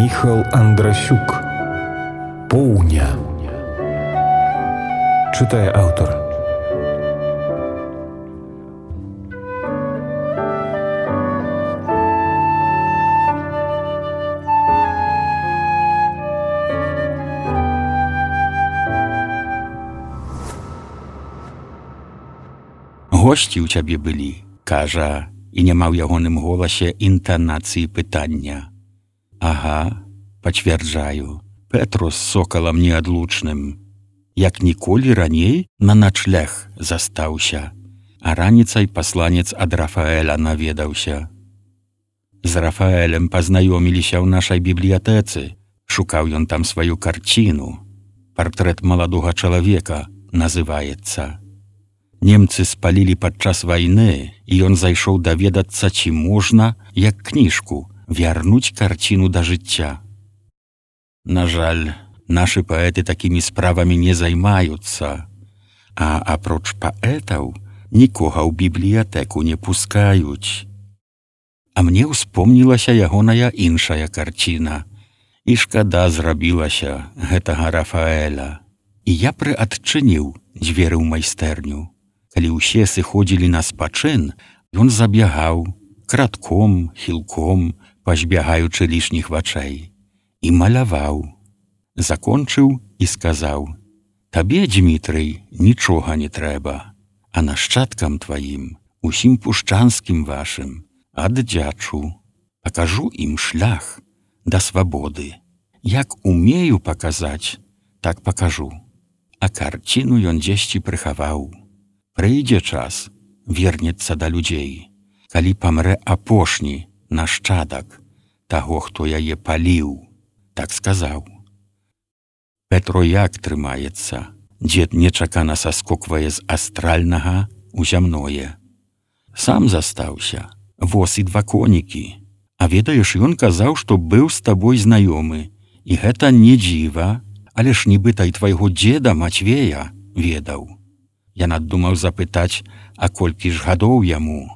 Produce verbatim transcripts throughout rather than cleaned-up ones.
Міхал Андрасюк. Поўня. Чытае аўтар. Госці ў цябе былі, кажа, і няма ў ягоным голасе інтанацыі пытання. Ага, пацвярджаю, Петро з сокалам неадлучным. Як ніколі раней на начлег застаўся, а раніцай пасланец ад Рафаэля наведаўся. З Рафаэлем пазнаёміліся ў нашай бібліятэцы, шукаў ён там сваю карціну. Партрэт маладога чалавека называецца. Немцы спалілі падчас вайны, і ён зайшоў даведацца, ці можна, як кніжку, вярнуць карціну да жыцця. На жаль, нашы паэты такімі справамі не займаюцца, а апроч паэтаў нікога ў бібліятэку не пускаюць. А мне ўспомнілася ягоная іншая карціна, і шкада зрабілася гэтага Рафаэля. І я прыадчыніў дзверы ў майстэрню. Калі ўсе сыходзілі на спачын, ён забягаў, кратком, хілком, пазбягаючы лішніх вачэй, і маляваў. Закончыў і сказаў: «Табе, Дзмітрый, нічога не трэба, а нашчадкам тваім, усім пушчанскім вашым, аддзячу. Пакажу ім шлях да свабоды. Як умею паказаць, так пакажу». А карціну ён дзесьці прыхаваў. Прыйдзе час, вернецца да людзей, калі памрэ апошні нашчадак таго, хто яе паліў, так сказаў. Петро як трымаецца? Дзед нечакана саскоквае з астральнага ў зямное. Сам застаўся, воз і два конікі. А ведаеш, ён казаў, што быў з табой знаёмы, і гэта не дзіва, але ж нібыта і твайго дзеда Мацвея ведаў. Я надумаў запытаць, а колькі ж гадоў яму,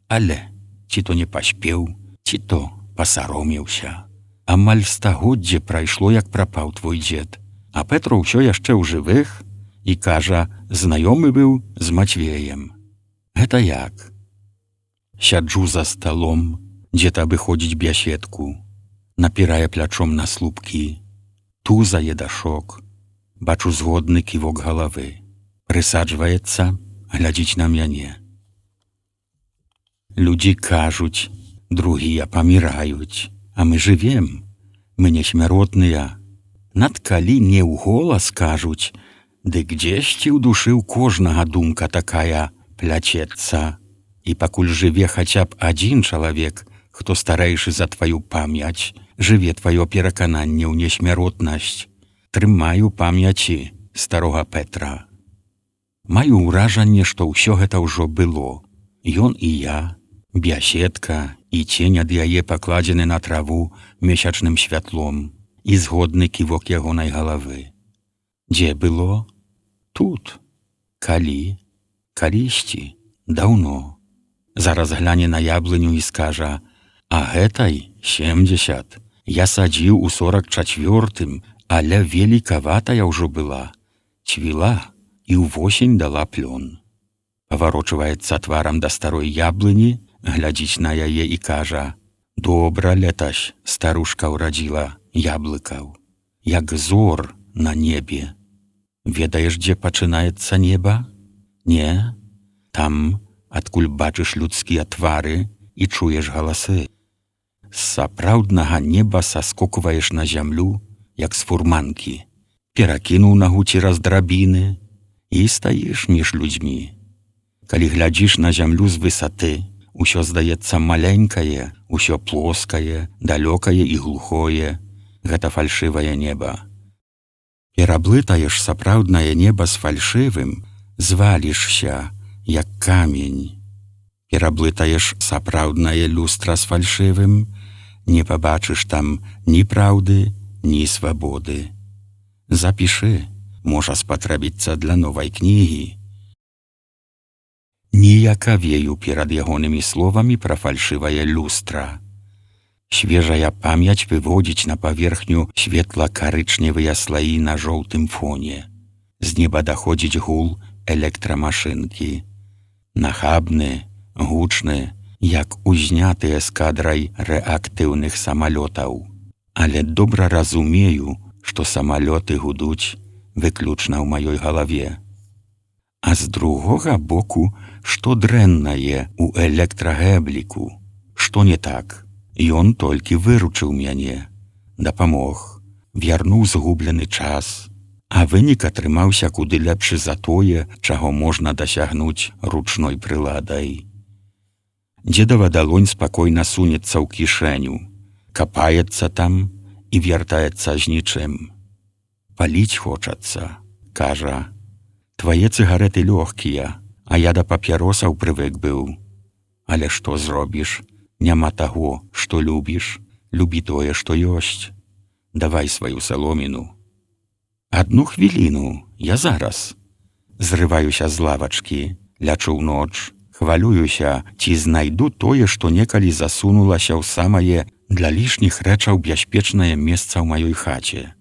але ці то не паспеў, ці то пасаромеўся. Амаль стагоддзе прайшло, як прапаў твой дзед, а Петро ўсё яшчэ ў жывых і кажа, знаёмы быў з Мацвеем. Гэта як? Сяджу за сталом, дзед абыходзіць бяседку, напірае плячом на слупкі, тузае дашок, бачу згодны ківок галавы. Прысаджваецца, глядзіць на мяне. Людзі кажуць, другія паміраюць, а мы жывем, мы не смяротныя. Над калі не ў голас кажуць, дык дзесьці ў душы ў кожнага думка такая пляцецца. І пакуль жыве хаця б адзін чалавек, хто старэйшы за тваю памяць, жыве тваё перакананне ў несмяротнасць. Трымаю памяці старога Петра. Маю ўражанне, што ўсё гэта ўжо было. Ён і я, бяседка, і цень ад яе пакладзены на траву месячным святлом, і згодны ківок ягонай галавы. Дзе было? Тут. Калі? Калісьці? Даўно. Зараз гляне на яблыню і скажа: «А гэтай семдзесят. Я садзіў у сорак чацвёртым, але великаватая ўжо была. Цвіла і ўвосень дала плён». Паварочваецца тварам да старой яблыні, глядзіць на яе і кажа: «Добра летась старушка ўрадзіла яблыкаў, як зор на небе». Ведаеш, дзе пачынаецца неба? Не? Там, адкуль бачыш людскія твары і чуеш галасы. З сапраўднага неба саскокваеш на зямлю, як з фурманкі, перакінуў нагу цераз драбіны і стаіш між людзьмі. Калі глядзіш на зямлю з высоты, усё здаецца маленькае, усё плоскае, далёкае і глухое. Гэта фальшывае неба. Пераблытаеш сапраўднае неба з фальшывым, звалішся, як камень. Пераблытаеш сапраўднае люстра з фальшывым, не пабачыш там ні праўды, ні свабоды. Запішы, можа спатрэбіцца для новай кнігі. Ніякавею перад ягонымі словамі пра фальшывае люстра. Świeża pamięć wywodzić na powierzchniu świetla-karyczniowe sloi na żółtym fonie. Z nieba dochodzić gul elektromaszynki. Nachabny, huczny, jak uźniaty eskadraj reaktywnych samolotów. Ale dobra rozumieju, że samoloty guduć wykluczna w mojej głowie. A z drugiego boku, что дрэнна je у электрагэбліку, што не так. Ён толькі выручыў мяне, дапамог, вярнуў згублены час, а вынік атрымаўся куды лепшы за тое, чаго можна дасягнуць ручной прыладай. Дзедава далонь спакойна сунецца ў кішэню, капаецца там і вяртаецца з нічым. Паліць хочацца, кажа. Твае цыгареты лёгкія, а я да папяросаў прывык быў. Але што зробіш? Няма таго, што любіш, любі тое, што ёсць. Давай сваю саломіну. Адну хвіліну, я зараз. Зрываюся з лавачкі, лячу ў ноч, хвалююся, ці знайду тое, што некалі засунулася ў самае для лішніх рэчаў бяспечнае месца ў маёй хаце.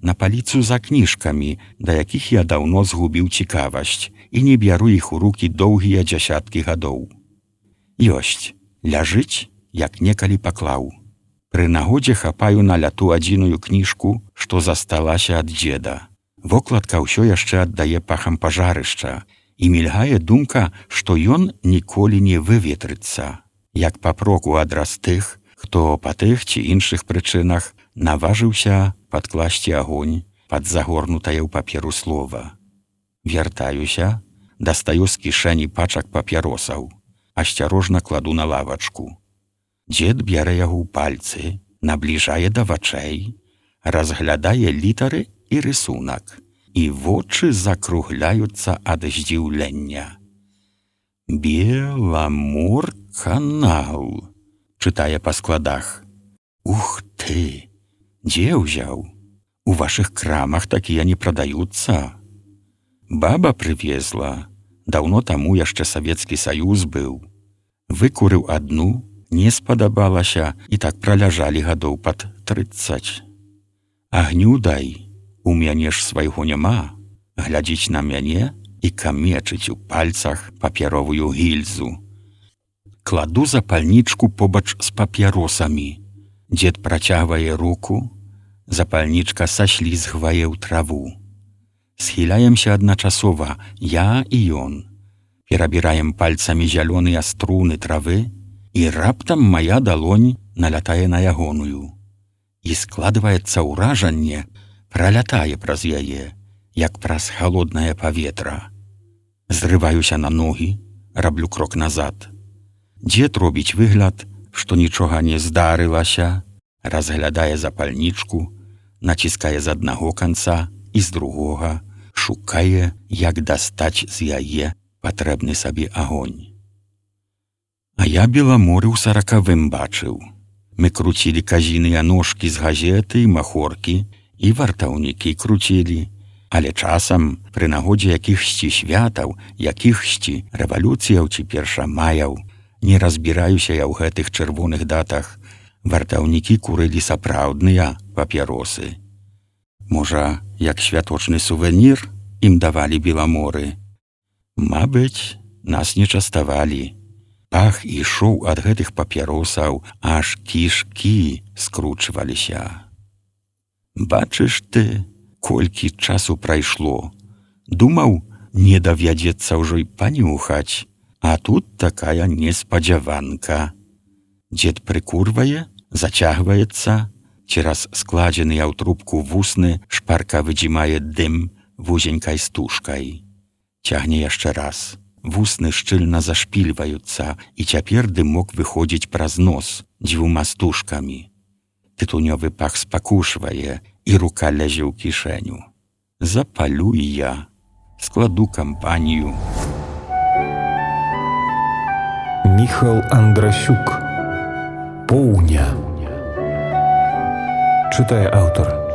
На паліцу за кніжкамі, да якіх я даўно згубіў цікавасць і не бяру іх у рукі доўгія дзясяткі гадоў. Ёсць, ляжыць, як некалі паклаў. Пры нагодзе хапаю на ляту адзіную кніжку, што засталася ад дзеда. Вокладка ўсё яшчэ аддае пахам пажарышча, і мільгае думка, што ён ніколі не выветрыцца, як папроку адраз тых, хто па тых ці іншых прычынах наважыўся падкласці агонь пад загорнутае ў паперу слова. Вяртаюся, дастаю з кішэні пачак папяросаў, асцярожна кладу на лавачку. Дзед бярэ яго ў пальцы, набліжае да вачэй, разглядае літары і рысунак, і вочы закругляюцца ад здзіўлення. «Беламор-канал», чытае па складах. «Ух ты! Дзе ўзяў? У вашых крамах такія не прадаюцца. Баба прывезла, даўно таму яшчэ Савецкі Саюз быў. Выкурыў адну, не спадабалася, і так праляжалі гадоў пад трыццаць. Агню дай, у мяне ж свайго няма, глядзіць на мяне і камечыць у пальцах папяровую гільзу. Кладу запальнічку побач з папяросамі. Дзед працягвае руку, запальнічка саслізгвае ў траву. Схіляемся адначасова, я і ён. Перабіраем пальцамі зялёныя струны травы, і раптам мая далонь налятае на ягоную. І складваецца ўражанне, пралятае праз яе, як праз халоднае паветра. Зрываюся на ногі, раблю крок назад. Дзед робіць выгляд, што нічога не здарылася, разглядае запальнічку, націскае з аднаго канца і з другога, шукае, як дастаць з яе патрэбны сабе агонь. А я Беламоры ў саракавым бачыў. Мы круцілі казіныя ножкі з газеты і махоркі, і вартаўнікі круцілі, але часам, пры нагодзе якіхсьці святаў, якіхсьці рэвалюцыяў ці першамаяў, не разбіраюся я ў гэтых чырвоных датах, вартаўнікі курылі сапраўдныя папяросы. Можа, як святочны сувенір ім давалі Беламоры. Мабыць, нас не частавалі. Пах ішоў ад гэтых папяросаў, аж кішкі скручваліся. Бачыш ты, колькі часу прайшло. Думаў, не давядзецца ўжо й панюхаць. А тут такая неспадзяванка. Дзед прыкурвае, зацягваецца, цераз складзеныя ў трубку вусны шпарка выдзімае дым вузенькай стужкай. Цягне яшчэ раз. Вусны шчыльна зашпільваюцца, і цяпер дымок выходзіць праз нос дзвюма стужкамі. Тытунёвы пах спакушвае, і рука лязе ў кішэню. Запалю і я, складу кампанію. Міхал Андрасюк. Поўня. Чытае аўтар.